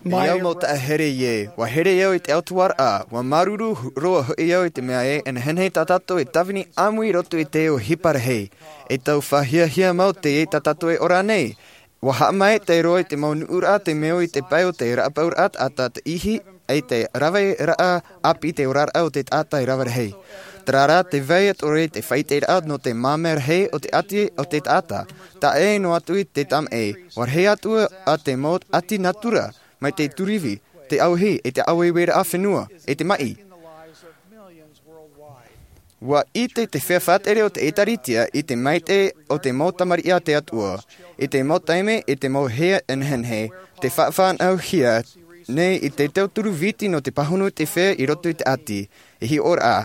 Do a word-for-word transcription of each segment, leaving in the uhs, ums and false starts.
Mai au mau taʻahere ē, ua here au i te autahuʻaraʻa, ua māuruuru roa hoʻi au i te mea ē, e nehenehe tā tātou e tāvini ʻāmui i roto i te ʻohipa rahi. E tau faʻahiahia mau teie tā tātou e ora nei. Ua haʻamaitaʻi roa i te mau nuʻuraʻa te meo i te pae o te raʻapauraʻa taʻata te ihi, e te raveraʻa ʻāpī te oraraʻa o te taʻata e rave rahi. Terā rā te vai atu ʻore i te faʻaʻiteraʻa nō te māmā rahi o te ʻati o te taʻata. Taʻa ʻē noa atu i te tamaʻi, ua rahi atu ā te mau ʻati natura, mai te turivi, te ʻauhi, e te ʻāueueraʻa fenua, e te maʻi. Ua ʻite te feiā faʻatere o te ʻĒtārētia i te maitaʻi o te mau tamariʻi a te Atua, i te mau taime, i te mau hea e nehenehe, te faʻafānauhia nei i te tauturu viti nō te pāhono i te feiā i roto i te ʻati, e hiʻoraʻa.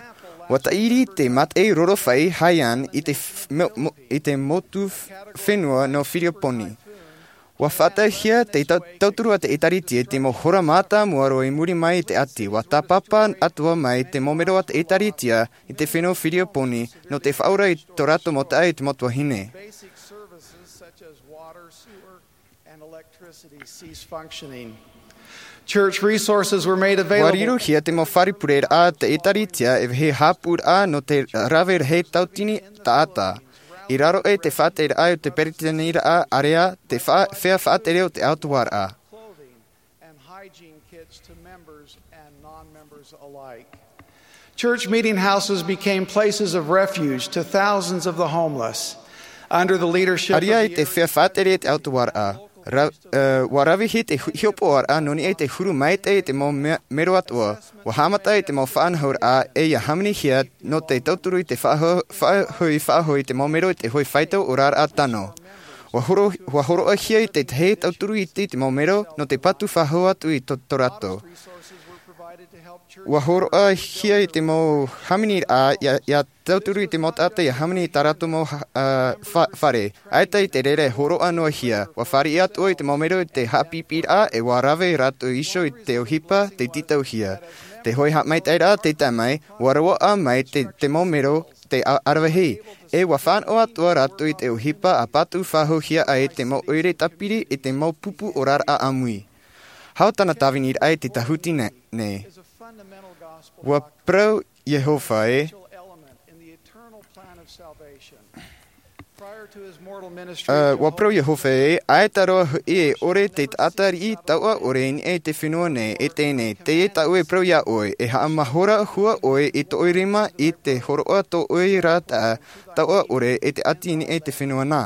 Ua tāʻiri te maitaʻi roro fai Haiyan i te f-, mo-, mo-, i te motu f-, fenua nō Filipoini. Ua faʻataehia te tau-, tauturu a te ʻĒtārētia i te mau hora mātāmua roa i muri mai i te ʻati. Ua tāpapa atoʻa mai te mau mero a te ʻĒtārētia i te fenua Filipoini nō te faʻaora i tō rātou mau taʻata i te mau tuahine. Basic services such as water, sewer, and electricity cease functioning. Church resources were made available. Ua rirohia te mau fare pureraʻa a te ʻĒtārētia e vāhi haʻapūraʻa nō te rave rahi tauatini taʻata. I raro aʻe i te faʻatereraʻa o te peretiteniraʻa ʻārea, te fa-, feiā faʻatere o te autahuʻaraʻa. Clothing and hygiene kits to members and non-members alike. Church meeting houses became places of refuge to thousands of the homeless under the leadership of the Area i te feiā faʻatere i te autahuʻaraʻa. Ra-, eh, ua ravehia te hu-, hiʻopoʻaraʻa nō niʻa i te huru maitaʻi i te mau me-, mero atoʻa. Ua haʻamata i te mau faʻanahoraʻa e ia hāmanihia nō te tauturu i te faʻaho-, faʻahoʻi, faʻahoʻi i te mau mero i te hoʻi faito oraraʻa tano. Ua horo-, ua hōroʻahia i te tahi tauturu iti i te mau mero nō te patu faʻahou atu i tō, tō rātou. Ua hōroʻahia i te mau hāmaniraʻa ia, ia tauturu i te mau taʻata ia hāmani i tā rātou mau ha-, a, fa-, fare. ʻAita i te reira e hōroʻa noa hia, ua fāriʻi atoʻa i te mau mero i te haʻapiʻipiʻiraʻa e ua rave rātou iho i te ʻohipa tei tītauhia. Te hoʻi haʻamaitaʻiraʻa tei tae mai, ua roaʻa mai te, te mau mero te a-, aravihi. E ua fānaʻo atoʻa rātou i te ʻohipa a patu faʻahouhia ai te mau ʻoire tāpiri i te mau pupu oraraʻa ʻāmui. Hau tāna tāviniraʻa i te tāhuti nei, nei. Ua parau Iehova ē. Prior to his mortal ministry, ʻĀ, ua parau Iehova ē, ʻaita roa hoʻi e ʻore te taʻata riʻi taoʻa ʻore i niʻa i te fenua nei, e teie nei, teie tāʻu e parau iā ʻoe, e haʻamahora hua ʻoe i tō ʻoe rima i te hōroʻa tō ʻoe ra taʻata taoʻa ʻore e te ʻati i niʻa i te fenua nā.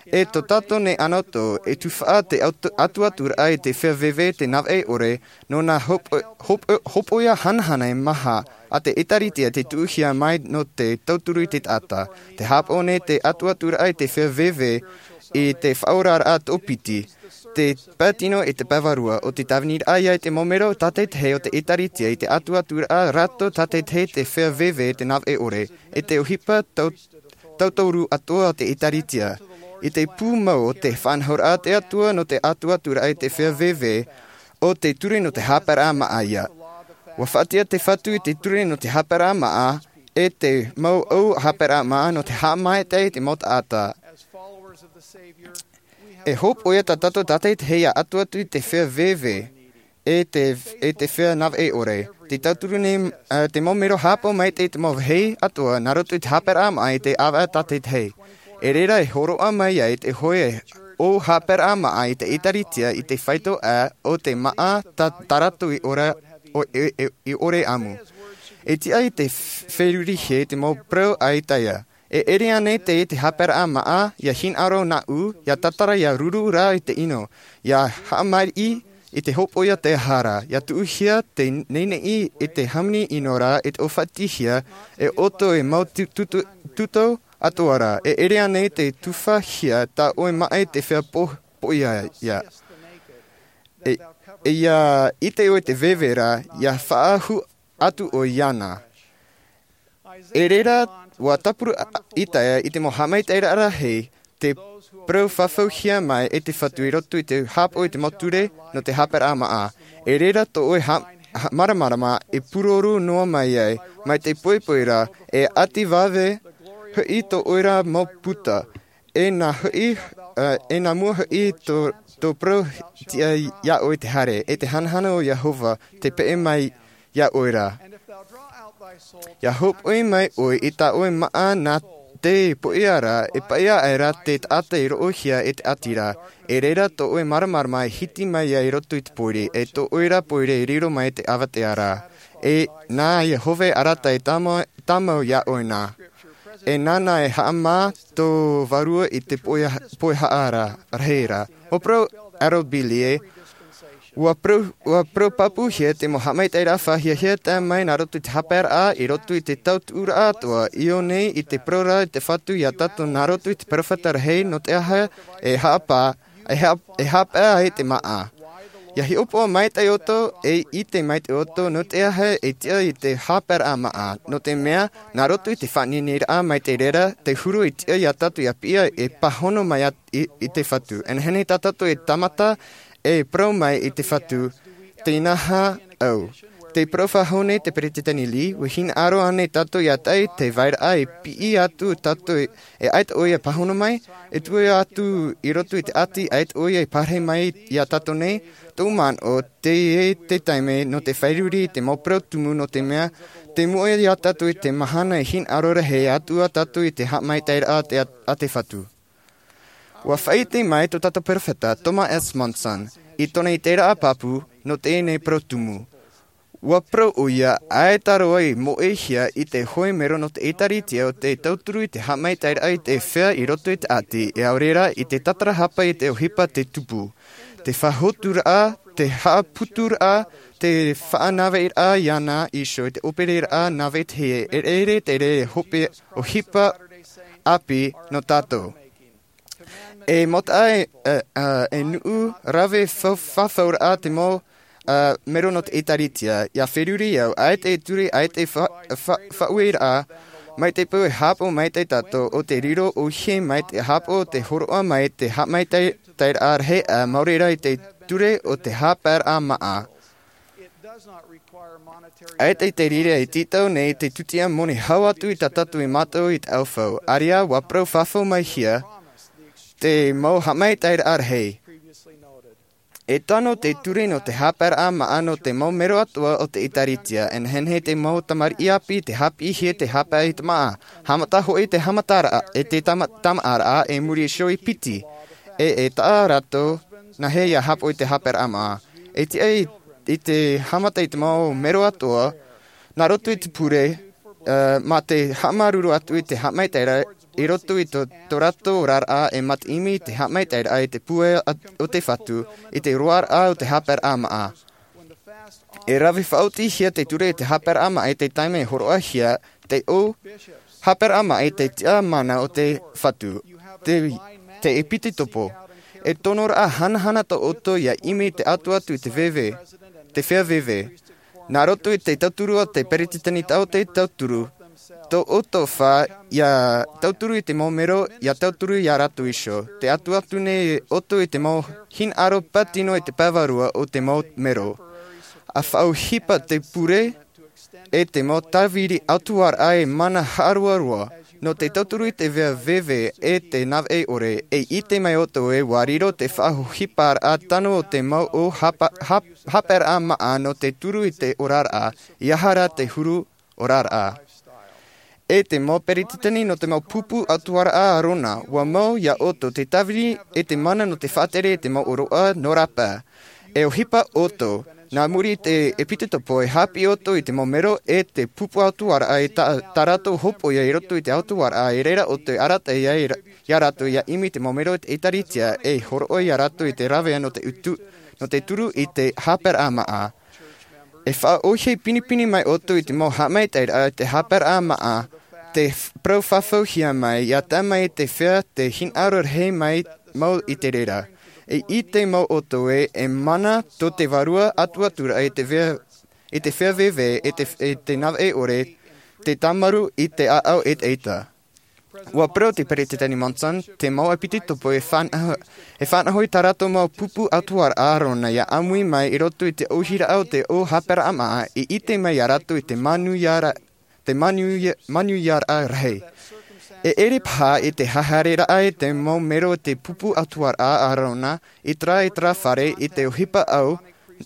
E tō tātou nei anotau, e tufaʻa te atu-, atuaturaʻa i te feiā veve te navaʻi ʻore, nō nā hopo-, hopo-, hopoiʻa hanahana e maha a te ʻĒtārētia te tuʻuhia mai nō te tauturu i te taʻata. Te haʻapaʻo nei te atuaturaʻa i te feiā veve i te faʻaoraraʻa tōpiti, te pae tino e te pae vārua, ʻo te tāviniraʻa ia i te mau mero tātaʻitahi o te ʻĒtārētia i te atuaturaʻa rātou tātaʻitahi te feiā veve te navaʻi ʻore, e te ʻohipa tau-, tauturu atoʻa o te ʻĒtārētia. I te pūmau o te faʻanahoraʻa a te Atua nō te atuaturaʻa i te feiā veve, ʻo te ture nō te haʻapaeraʻa māʻa ia. Ua faʻatiʻa te Fatu i te ture nō te haʻapaeraʻa māʻa, e te mau ʻau haʻapaeraʻa māʻa nō te haʻamaitaʻi i te mau taʻata. E hopoiʻa tā tātou tātaʻitahi ia atu atu i te feiā veve, e te, e te feiā navaʻi ʻore. Te tauturu nei, ā, te mau mero haʻapaʻo maitaʻi i te mau vāhi atoʻa, nā roto i te haʻapaeraʻa māʻa i te ʻāvaʻe tātaʻitahi. E reira e hōroʻa mai ai te hoʻi ʻau haʻapaeraʻa māʻa i te ʻĒtārētia i te faito ʻā o te māʻa tā, tā rātou i ʻore, ʻo, e, e, i ʻore ʻāmui. E tiʻa i te f-, ferurihia i te mau parau a Isaia. E ʻere ānei te, te haʻapaeraʻa māʻa, ia hinaʻaro nāʻu, ia tātara ia ruru rā i te ʻino, ia haʻamaʻi i te hopoiʻa te hara, ia tuʻuhia te neʻineʻi i te hāmani ʻino rā i te ʻōfatihia, e ʻoto e mau tu-, tutu-, tutau atoʻa rā. E ʻere ānei te tufahia tā ʻoe māʻa i te feiā po-, poʻia ia. E, e ia ʻite ʻoe te veve rā, ia faʻaʻahu atu ʻoe iāna. E reira, ua tāpura Isaia i te mau haʻamaitaʻiraʻa rahi, te parau fafauhia mai e te Fatu i roto i te haʻapaʻo i te mau ture nō te haʻapaeraʻa māʻa. E reira tō ʻoe ha-, ha-, māramarama e pūroro noa mai ai, mai te poipoi rā, e ʻati vave hoʻi tō ʻoe ra mau puta, e nā hoʻi, ā, e nā mua hoʻi tō, Tō parau tiʻa iā ʻoe te haere, e te hanahana o Iehova te peʻe mai iā ʻoe ra. Ia hōpoi mai ʻoe i tā ʻoe māʻa nā te poʻia ra, e paʻia aʻera te taʻata i roʻohia e te ʻati ra. E reira tō ʻoe māramarama e hiti mai ai i roto i te pōiri, e tō ʻoe ra pōiri e riro mai te ʻāvatea ra. E nā Iehova e arataʻi tāmau, tāmau iā ʻoe nā. E nāna e haʻamā tō vārua i te poʻia, poʻia haʻa ra, rahi ra. Ua parau Harold B. Lee, ua parau, ua parau pāpūhia te mau haʻamaitaʻiraʻa faʻahiahia tae mai nā roto i te haʻapaeraʻa, i roto i te tautuʻuraʻa atoʻa, i ʻō nei i te parau ra i te Fatu iā tātou nā roto i te peropheta rahi, nō te aha e haʻapā, e haʻa-, e haʻapae ai te māʻa. Ia hiʻopoʻa maitaʻi ʻoutou, e ʻite maitaʻi ʻoutou, nō te aha e tiʻa i te haʻapaeraʻa māʻa. Nō te mea, nā roto i te faʻaniniraʻa mai te reira, te huru i tiʻa iā tātou ia piʻi e pāhono mai ā i, i te Fatu. E nehenehe tā tātou e tāmata e parau mai i te Fatu, tē nā hea au. Tē parau faʻahou nei te Peresideni Lee, ʻua hinaʻaro ānei tātou ia tae i te vairaʻa e piʻi atu tātou e, e ʻaita ʻoia e pāhono mai, e tuʻu atu i roto i te ʻati ʻaita ʻoia e pārahi mai iā tātou nei, tōʻu manaʻo, teie te taime nō te fāriʻi i te mau parau tumu nō te mea, tei mua iā tātou i te mahana e hinaʻaro rahi atu ā tātou i te haʻamaitaʻiraʻa a te, a te Fatu. Ua faʻaʻite mai tō tātou peropheta, Thomas S. Monson, i tōna ʻiteraʻa pāpū nō teie nei parau tumu. Ua parau ʻoia, ʻaita roa i moʻehia i te hōʻē mero nō te ʻĒtārētia o te tauturu i te haʻamaitaʻiraʻa i te feiā i roto i te ʻati, e ʻaore rā i te tatarahapa i te ʻohipa tei tupu. Te faʻahotuaraʻa, te haʻaputuraʻa, te faʻanaveʻiraʻa iāna iho i te ʻōpereraʻa nāvai teie, e ʻere te reira e hope ʻohipa ʻāpī nō tātou. E mau taʻa e, e, e, e nuʻu rave fa-, fafauraʻa te mau, e, mero nō te ʻĒtārētia. Ia feruri au, ʻaita e ture, ʻaita e fa-, fa-, faʻaueraʻa, mai te peu e haʻapaʻo maitaʻi tātou, ʻo te riro ʻōhie mai te haʻapaʻo, te hōroʻa mai te haʻamaitaʻi, taʻiraʻa rahi, ā, mau reira i te ture o te haʻapaeraʻa māʻa. ʻAita i te reira e tītau nei te tūtia moni hau atu i tā tātou e mātau i te ʻaufau. ʻĀreʻa, ua parau faʻahou mai hia te mau haʻamaitaʻiraʻa rahi. E tano te ture nō te haʻapaeraʻa māʻa nō te mau mero atoʻa o te ʻĒtārētia, e nehenehe te mau tamariʻi ʻāpī te haʻapiʻihia te haʻapae i te māʻa. Haʻamata hoʻi te haʻamataraʻa, e te tama-, tamaʻaraʻa, e muri iho i piti. E, e taʻa rātou, nāhea ia haʻapaʻo i te haʻapaeraʻa māʻa. E tiʻa i, i te haʻamata i te mau mero atoʻa, nā roto i te pure, ā, mā te haʻamāuruuru atu i te haʻamaitaʻiraʻa, i roto i tō, tō rātou oraraʻa, e mā te ʻimi i te haʻamaitaʻiraʻa i te pūai at-, o te Fatu, i te roaraʻa o te haʻapaeraʻa māʻa. E rave faʻaotihia te ture i te haʻapaeraʻa māʻa i te taime e hōroʻahia, te ʻō, haʻapaeraʻa māʻa i te tiʻamana o te Fatu. Te, te ʻepitekopo. E tonoraʻa hanahana tō ʻoutou ia ʻimi te atu atu i te veve, te feiā veve. Nā roto i te tauturu o te peresideni tau te tauturu, tō ʻoutou fā, ia tauturu i te mau mero, ia tauturu iā rātou iho. Te atu atu nei ʻoutou i te mau hinaʻaro pātino i te pae vārua o te mau mero. ʻA faʻaʻohipa te pure, e te mau tāviri ʻautuaraʻa e mana haʻaroaroa, nō te tauturu i te feiā veve e te nāvaʻe ʻore, e ʻite mai ʻoutou ē ua riro te faʻaʻohiparaʻa tano o te mau ʻō haʻapa-, haʻ-, haʻapaeraʻa māʻa nō te turu i te oraraʻa, ʻeiaha rā te huru oraraʻa. E te mau peresideni nō te mau pupu ʻautuaraʻa ʻāreʻa, ua mau iā ʻoutou te tāviri e te mana nō te faʻatere i te mau ʻōroʻa nō rāpae. E ʻohipa ʻoutou, nā muri i te ʻepitekopo e haʻapiʻi ʻoutou i te mau mero e te pupu ʻautuaraʻa i tā, tā rātou hōpoiʻa i roto i te ʻautuaraʻa, e reira ʻoutou e arataʻi ai ra-, iā rātou ia ʻimi te mau mero i te ʻĒtārētia, e hōroʻa iā rātou i te rāveʻa nō te utu, nō te turu i te haʻapaeraʻa māʻa. E faʻaʻohie pinepine mai ʻoutou i te mau haʻamaitaʻiraʻa i te haʻapaeraʻa māʻa, te f-, parau faʻahouhia mai, ia tae mai i te feiā te hinaʻaro rahi mai mau i te reira. E ʻite mau ʻoutou ē, e mana tō te Vārua ʻatuʻaturaʻa i te feiā, i te feiā veve, i te, i te nāvaʻe ʻore, te tāmarū i te ʻāʻau ʻetaʻeta. Ua parau te Peresideni Monson, te mau ʻepitekopo e faʻanaho, e faʻanaho i tā rātou mau pupu ʻautuaraʻa ʻāreʻa ia ʻāmui mai i roto i te ʻōhiraʻa o te ʻō haʻapaeraʻa māʻa, e ʻite mai iā rātou i te manuia ra-, te manuia, manuiaraʻa rahi. E ʻere paha i te haereraʻa i te mau mero o te pupu ʻatuaraʻa a Arona i terā, i terā fare, i te ʻohipa ʻau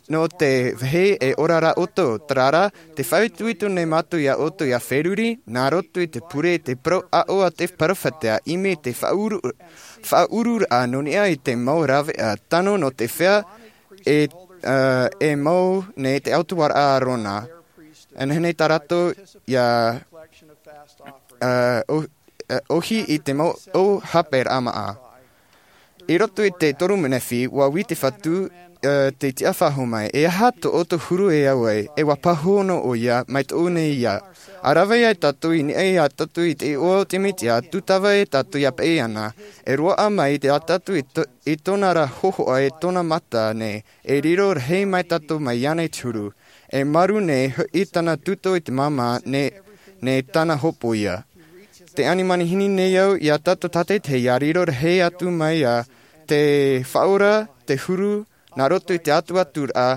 nō te vahi e ora ra ʻoutou. Terā rā, tē faʻaitoito nei mātou iā ʻoutou ʻia feruri, nā roto i te pure, i te parau aʻo a te perofeta, ʻimi i te faʻaʻuru, faʻaʻururaʻa nō niʻa i te mau rāveʻa tano nō te fea e, ā, e mau nei te ʻatuaraʻa a Arona. Anaʻe nei tā rātou ʻia, ā, ʻo-, ā, ʻohi i te mau ʻō haʻapaʻoraʻa māʻa. I roto i te toru Nefi, ʻua ui te Fatu, ā, te tiʻa faʻahou mai, e aha tō ʻoutou huru e au ai, e ʻua pāhono ʻoia, mai tōʻu nei ia. ʻA rave ai tātou i niʻa iā tātou i te iʻoa o te Mesia, tūtava e tātou ʻia peʻe iāna, e roaʻa mai iā tātou i tō-, i tōna ra hōhoʻa e tōna mata nei, e riro rahi mai tātou mai iāna i te huru. E maru nei hoʻi tāna tūtō i te māmā nei, nei tāna hopoiʻa. Tē ani manihini nei au iā tātou tātaʻitahi ʻia riro rahi atu mai ā te faʻaora, te huru, nā roto i te ʻatuʻaturaʻa,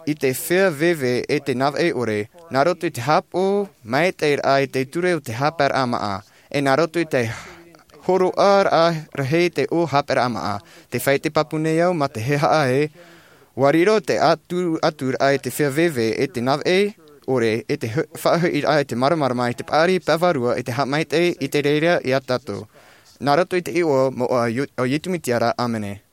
i te feiā veve e te navaʻi ʻore, nā roto i te haʻapaʻo maitaʻiraʻa i te ture o te haʻapaʻoraʻa māʻa, e nā roto i te hōroʻaraʻa rahi i te ʻō haʻapaʻoraʻa māʻa. Tē fāʻite pāpū nei au mā te hehaaʻe, ʻua riro te ʻatuʻaturaʻa i te feiā veve e te navaʻi ʻore, e te hu-, faʻahoʻiraʻa i te māramarama, i te paʻari pavarua, i te haʻamaitaʻi, i te reira iā tātou. Nā roto i te iʻoa moʻa o Io-, o Iesu Mesia ra, ʻāmene.